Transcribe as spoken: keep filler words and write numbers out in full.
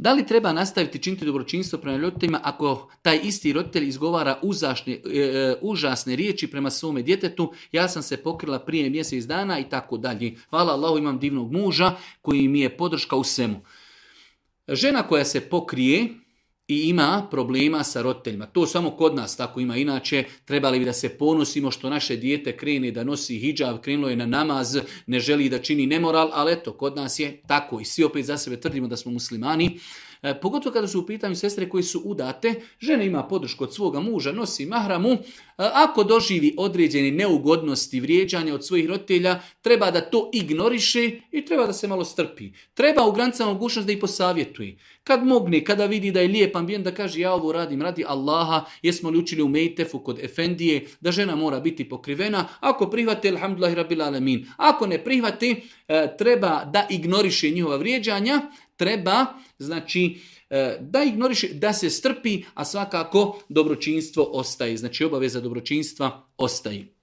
Da li treba nastaviti činiti dobročinstvo prema roditeljima ako taj isti roditelj izgovara užasne, e, užasne riječi prema svome djetetu? Ja sam se pokrila prije mjesec dana i tako dalje. Hvala Allahu, imam divnog muža koji mi je podrška u svemu. Žena koja se pokrije i ima problema sa roditeljima. To samo kod nas tako ima. Inače, trebali bi da se ponosimo što naše dijete krene da nosi hidžab, krenulo je na namaz, ne želi da čini nemoral, ali eto, kod nas je tako. I svi opet za sebe tvrdimo da smo muslimani. E, pogotovo kada su u pitanju sestre koje su udate, žena ima podršku od svoga muža, nosi mahramu. E, ako doživi određene neugodnosti, vrijeđanja od svojih roditelja, treba da to ignoriše i treba da se malo strpi. Treba u granicama mogućnost da ih posavjetuje. Kad mogne, kada vidi da je lijep ambijent, da kaže ja ovo radim radi Allaha, jesmo li učili u Mejtefu kod Efendije, da žena mora biti pokrivena. Ako prihvate, alhamdulillahi rabbil alamin. Ako ne prihvate, e, treba da ignoriše njihova vrijeđanja, treba, znači, da ignoriše, da se strpi, a svakako dobročinstvo ostaje. Znači, obaveza dobročinstva ostaje.